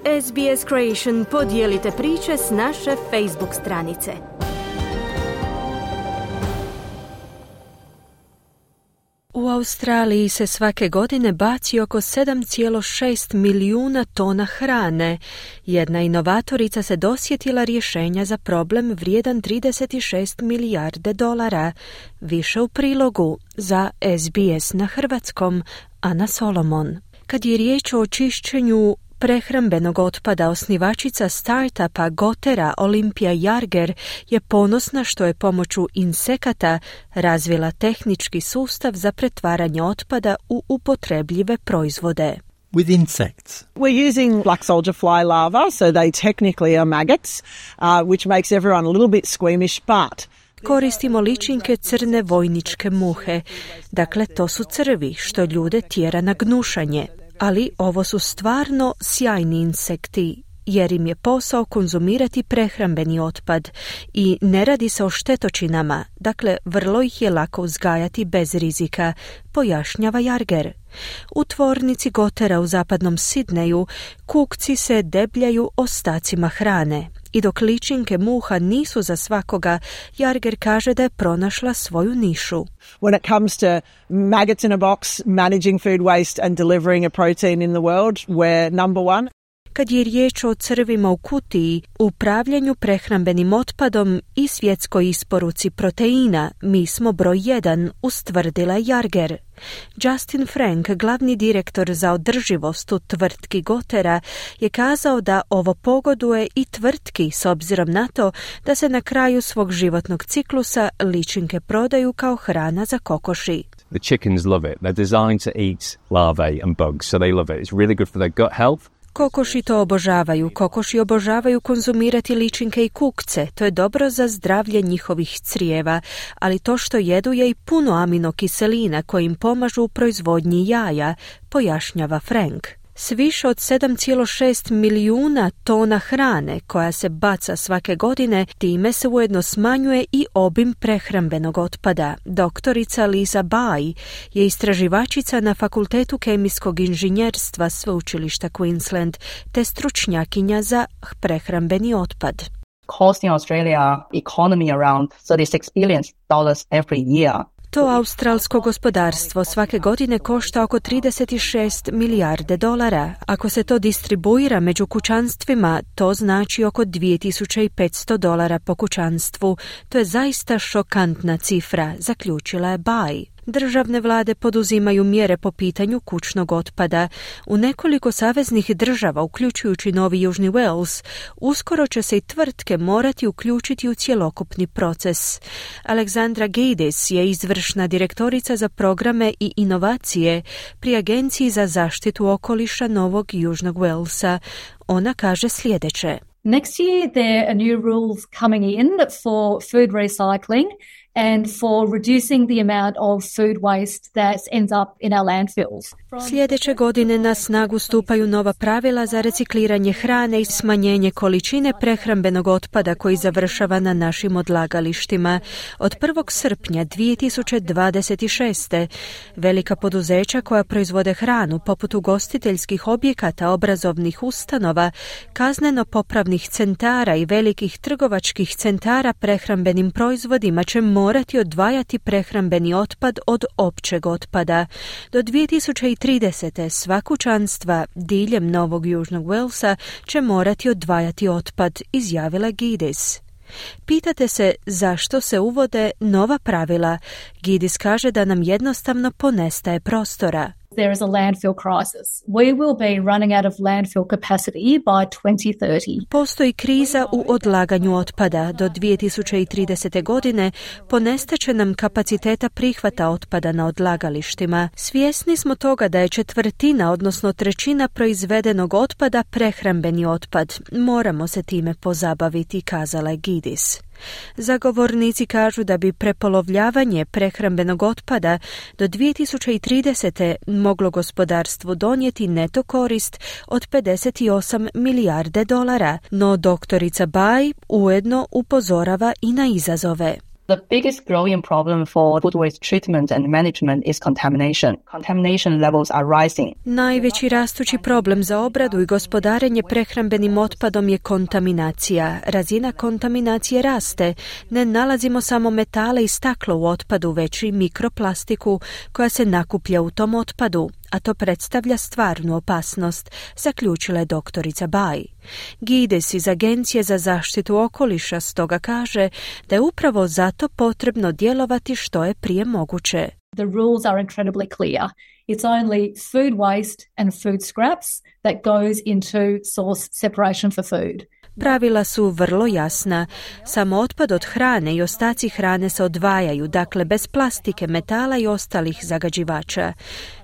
SBS Creation, podijelite priče s naše Facebook stranice. U Australiji se svake godine baci oko 7,6 milijuna tona hrane. Jedna inovatorica se dosjetila rješenja za problem vrijedan 36 milijarde dolara. Više u prilogu za SBS na hrvatskom, Ana Solomon. Kad je riječ o očišćenju prehrambenog otpada, osnivačica startupa Gotera Olimpija Jarger je ponosna što je pomoću insekata razvila tehnički sustav za pretvaranje otpada u upotrebljive proizvode. With insects. We're using black soldier fly larvae, so they technically are maggots, which makes everyone a little bit squeamish, but koristimo ličinke crne vojničke muhe. Dakle, to su crvi što ljude tjera na gnušanje. Ali ovo su stvarno sjajni insekti, jer im je posao konzumirati prehrambeni otpad i ne radi se o štetočinama, dakle vrlo ih je lako uzgajati bez rizika, pojašnjava Jarger. U tvornici Gotera u zapadnom Sidneju kukci se debljaju ostacima hrane. I dok ličinke muha nisu za svakoga, Jarger kaže da je pronašla svoju nišu. When it comes to maggots in a box, managing food waste and delivering a protein in the world, we're number one. Kad je riječ o crvima u kutiji, upravljanju prehrambenim otpadom i svjetskoj isporuci proteina, mi smo broj 1, ustvrdila Jarger. Justin Frank, glavni direktor za održivost u tvrtki Gotera, je kazao da ovo pogoduje i tvrtki s obzirom na to da se na kraju svog životnog ciklusa ličinke prodaju kao hrana za kokoši. The chickens love it. They're designed to eat larvae and bugs, so they love it. It's really good for their gut health. Kokoši to obožavaju. Kokoši obožavaju konzumirati ličinke i kukce. To je dobro za zdravlje njihovih crijeva, ali to što jedu je i puno aminokiselina koji im pomažu u proizvodnji jaja, pojašnjava Frank. S više od 7,6 milijuna tona hrane koja se baca svake godine, time se ujedno smanjuje i obim prehrambenog otpada. Doktorica Lisa Bai je istraživačica na Fakultetu kemijskog inženjerstva Sveučilišta Queensland te stručnjakinja za prehrambeni otpad. Costing Australia economy around $36 billion every year. To australsko gospodarstvo svake godine košta oko 36 milijarde dolara. Ako se to distribuira među kućanstvima, to znači oko $2500 po kućanstvu. To je zaista šokantna cifra, zaključila je Bai. Državne vlade poduzimaju mjere po pitanju kućnog otpada. U nekoliko saveznih država, uključujući Novi Južni Wales, uskoro će se i tvrtke morati uključiti u cjelokupni proces. Alexandra Gaydis je izvršna direktorica za programe i inovacije pri Agenciji za zaštitu okoliša Novog Južnog Walesa. Ona kaže sljedeće. Next year there are new rules coming in for food recycling and for reducing the amount of food waste that ends up in our landfills. Sljedeće godine na snagu stupaju nova pravila za recikliranje hrane i smanjenje količine prehrambenog otpada koji završava na našim odlagalištima. Od 1. srpnja 2026. velika poduzeća koja proizvode hranu, poput ugostiteljskih objekata, obrazovnih ustanova, kazneno-popravnih centara i velikih trgovačkih centara prehrambenim proizvodima će morati odvajati prehrambeni otpad od općeg otpada. Do 2030. sva kućanstva diljem Novog Južnog Walesa će morati odvajati otpad, izjavila Gaydis. Pitate se zašto se uvode nova pravila. Gaydis kaže da nam jednostavno ponestaje prostora. There is a landfill crisis. We will be running out of landfill capacity by 2030. Postoji kriza u odlaganju otpada. Do 2030. godine ponestaće nam kapaciteta prihvata otpada na odlagalištima. Svjesni smo toga da je 1/4, odnosno 1/3 proizvedenog otpada prehrambeni otpad. Moramo se time pozabaviti, kazala je Gaydis. Zagovornici kažu da bi prepolovljavanje prehrambenog otpada do 2030. moglo gospodarstvu donijeti neto korist od 58 milijarde dolara, no doktorica Bai ujedno upozorava i na izazove. The biggest growing problem for food waste treatment and management is contamination. Contamination levels are rising. Najveći rastući problem za obradu i gospodarenje prehrambenim otpadom je kontaminacija. Razina kontaminacije raste. Ne nalazimo samo metale i staklo u otpadu, već i mikroplastiku koja se nakuplja u tom otpadu, a to predstavlja stvarnu opasnost, zaključila je doktorica Bai. Gides iz Agencije za zaštitu okoliša stoga kaže da je upravo zato potrebno djelovati što je prije moguće. The rules are incredibly clear. It's only food waste and food scraps that goes into source separation for food. Pravila su vrlo jasna. Samo otpad od hrane i ostaci hrane se odvajaju, dakle bez plastike, metala i ostalih zagađivača.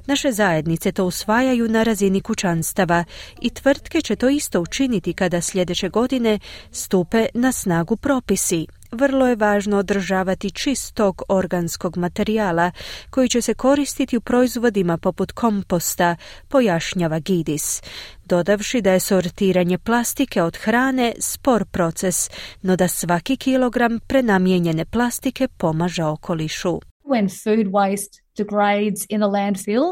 Naše zajednice to usvajaju na razini kućanstava i tvrtke će to isto učiniti kada sljedeće godine stupe na snagu propisi. Vrlo je važno održavati čistog organskog materijala koji će se koristiti u proizvodima poput komposta, pojašnjava Gidis, dodavši da je sortiranje plastike od hrane spor proces, no da svaki kilogram prenamijenjene plastike pomaže okolišu. When food waste degrades in a landfill,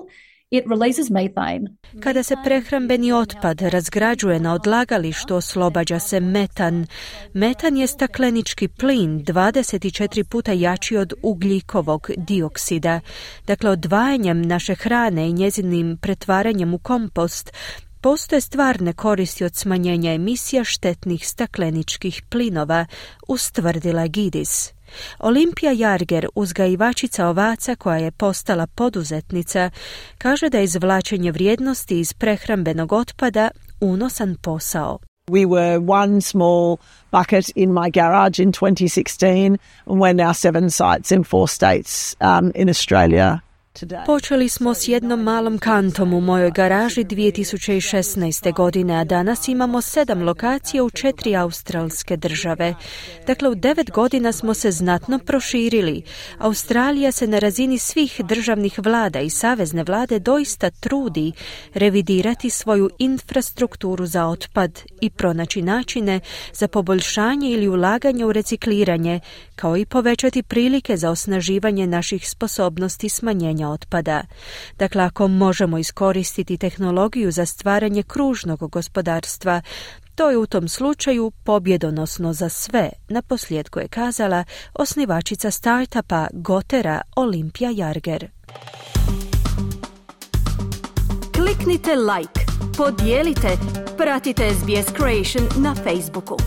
it releases methane. Kada se prehrambeni otpad razgrađuje na odlagalištu, oslobađa se metan. Metan je staklenički plin 24 puta jači od ugljikovog dioksida. Dakle, odvajanjem naše hrane i njezinim pretvaranjem u kompost postoje stvarne koristi od smanjenja emisija štetnih stakleničkih plinova, ustvrdila Gidis. Olimpija Jarger, uzgajivačica ovaca koja je postala poduzetnica, kaže da je izvlačenje vrijednosti iz prehrambenog otpada unosan posao. We were one small bucket in my garage in 2016 and we're now 7 sites in 4 states in Australia. Počeli smo s jednom malom kantom u mojoj garaži 2016. godine, a danas imamo 7 lokacija u 4 australske države. Dakle, u 9 godina smo se znatno proširili. Australija se na razini svih državnih vlada i savezne vlade doista trudi revidirati svoju infrastrukturu za otpad i pronaći načine za poboljšanje ili ulaganje u recikliranje, kao i povećati prilike za osnaživanje naših sposobnosti smanjenja otpada. Dakle, ako možemo iskoristiti tehnologiju za stvaranje kružnog gospodarstva, to je u tom slučaju pobjedonosno za sve, naposljetku je kazala osnivačica startupa Gotera Olimpija Jarger. Kliknite like, podijelite, pratite SBS Creation na Facebooku.